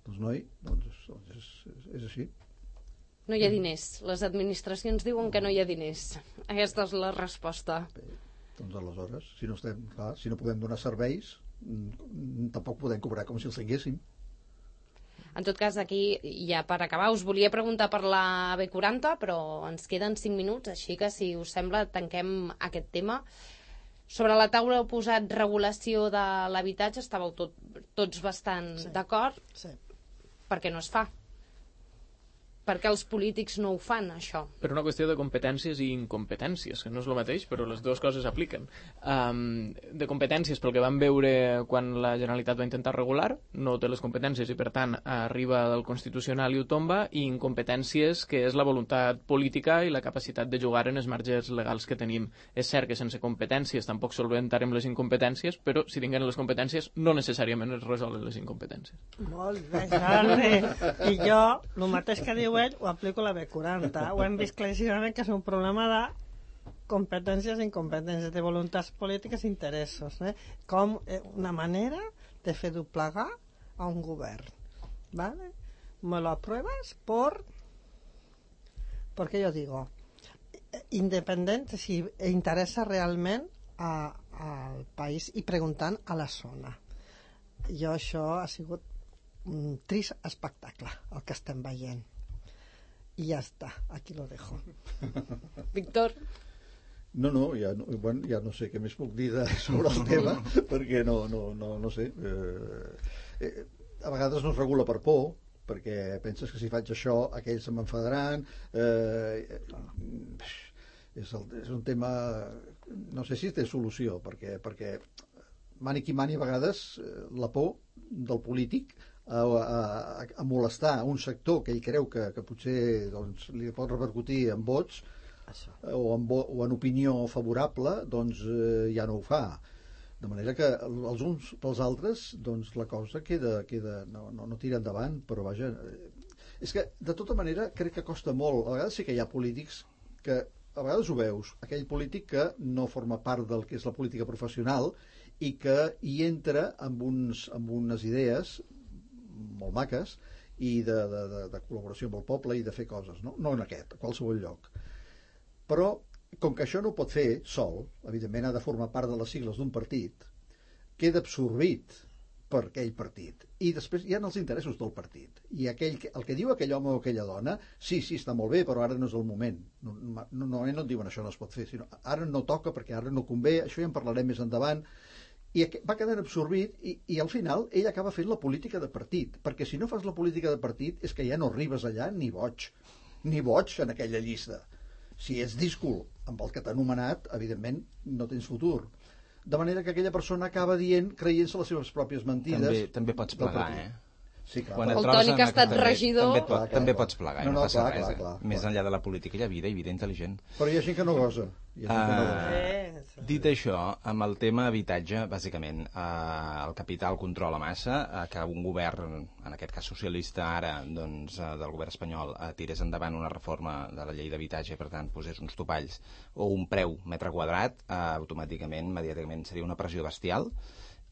Doncs, noi, doncs, doncs és, és, és així. No hi ha diners. Les administracions diuen que no hi ha diners. Aquesta és la resposta. Bé, doncs aleshores, si no, estem, clar, si no podem donar serveis, tampoc podem cobrar com si els tinguéssim. En tot cas, aquí, ja per acabar, us volia preguntar per la B quaranta, però ens queden cinc minuts, així que, si us sembla, tanquem aquest tema. Sobre la taula heu posat regulació de l'habitatge, estàveu tot, tots bastant sí. d'acord. Sí. Per què no es fa? Perquè els polítics no ho fan, això. Per una qüestió de competències i incompetències, que no és el mateix, però les dues coses apliquen. Um, de competències, pel que vam veure quan la Generalitat va intentar regular, no té les competències i, per tant, arriba del Constitucional i ho tomba, i incompetències, que és la voluntat política i la capacitat de jugar en els marges legals que tenim. És cert que sense competències tampoc solventarem les incompetències, però si tinguem les competències no necessàriament es resolen les incompetències. Molt bé, Jordi. I jo, el mateix que diu ell, ho aplico a la B quaranta. Ho hem vist claríssimament que és un problema de competències i incompetències, de voluntats polítiques i interessos. Eh? Com una manera de fer doblegar a un govern. ¿Vale? Me lo apruebas por... Porque yo digo, independent, si interessa realment a, al país i preguntant a la zona. Jo això ha sigut un trist espectacle, el que estem veient. I ja està, aquí lo dejo. Víctor? No, no, ja no, bueno, ja no sé què més puc dir de, sobre el tema, perquè no, no, no, no sé. Eh, eh, a vegades no es regula per por, perquè penses que si faig això aquells se m'enfadaran. Eh, és, el, és un tema... No sé si té solució, perquè, perquè mani qui mani a vegades la por del polític A, a, a molestar un sector que ell creu que, que potser doncs, li pot repercutir en vots o en, vo, o en opinió favorable, doncs eh, ja no ho fa. De manera que els uns pels altres doncs, la cosa queda, queda no, no, no tira endavant, però vaja, eh, és que de tota manera crec que costa molt. A vegades sí que hi ha polítics que a vegades ho veus, aquell polític que no forma part del que és la política professional i que hi entra amb, uns, amb unes idees molt maques i de, de, de, de col·laboració amb el poble i de fer coses, no? No en aquest, a qualsevol lloc. Però, com que això no ho pot fer sol, evidentment ha de formar part de les sigles d'un partit, queda absorbit per aquell partit. I després hi ha els interessos del partit. I aquell, el que diu aquell home o aquella dona, sí, sí, està molt bé, però ara no és el moment. No, no, no, no et diuen això no es pot fer, sinó ara no toca perquè ara no convé, això ja en parlarem més endavant. I va quedant absorbit i, i al final ell acaba fent la política de partit, perquè si no fas la política de partit és que ja no arribes allà ni boig, ni boig en aquella llista. Si ets díscol amb el que t'ha anomenat, evidentment no tens futur. De manera que aquella persona acaba dient, creient-se les seves pròpies mentides. També, també pots plegar, eh? Sí, clar. Quan el Toni, que ha estat també, regidor... També, pot, clar, clar, també clar. pots plegar, no, no, no, no passa clar, res. clar, clar, Més clar. enllà de la política hi ha vida i vida intel·ligent. Però hi ha gent que no gosa. Hi ha gent que no gosa. Eh, Dit això, amb el tema habitatge, bàsicament, eh, el capital controla massa, eh, que un govern, en aquest cas socialista ara, doncs, eh, del govern espanyol, eh, tirés endavant una reforma de la llei d'habitatge i, per tant, posés uns topalls o un preu metre quadrat, eh, automàticament, immediatament, seria una pressió bestial,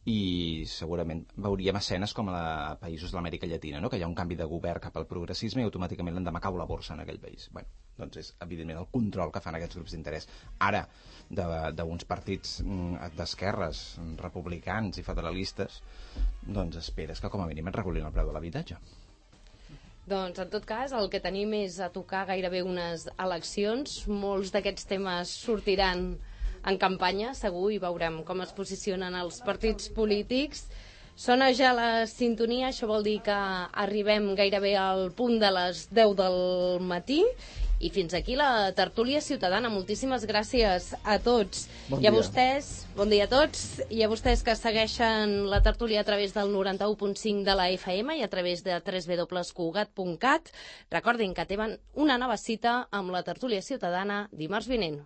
i segurament veuríem escenes com a països de l'Amèrica Llatina, no? Que hi ha un canvi de govern cap al progressisme i automàticament l'endemà cau la borsa en aquell país. Bueno, doncs és, evidentment, el control que fan aquests grups d'interès. Ara, d'uns partits d'esquerres, republicans i federalistes, doncs esperes que com a mínim et regulin el preu de l'habitatge. Doncs, en tot cas, el que tenim és a tocar gairebé unes eleccions. Molts d'aquests temes sortiran en campanya, segur, i veurem com es posicionen els partits polítics. Sona ja la sintonia, això vol dir que arribem gairebé al punt de les deu del matí. I fins aquí la tertúlia ciutadana. Moltíssimes gràcies a tots. Bon I a dia. vostès, bon dia a tots, i a vostès que segueixen la tertúlia a través del noranta-u punt cinc de la F M i a través de w w w punt cugat punt cat. Recordin que tenen una nova cita amb la tertúlia ciutadana dimarts vinent.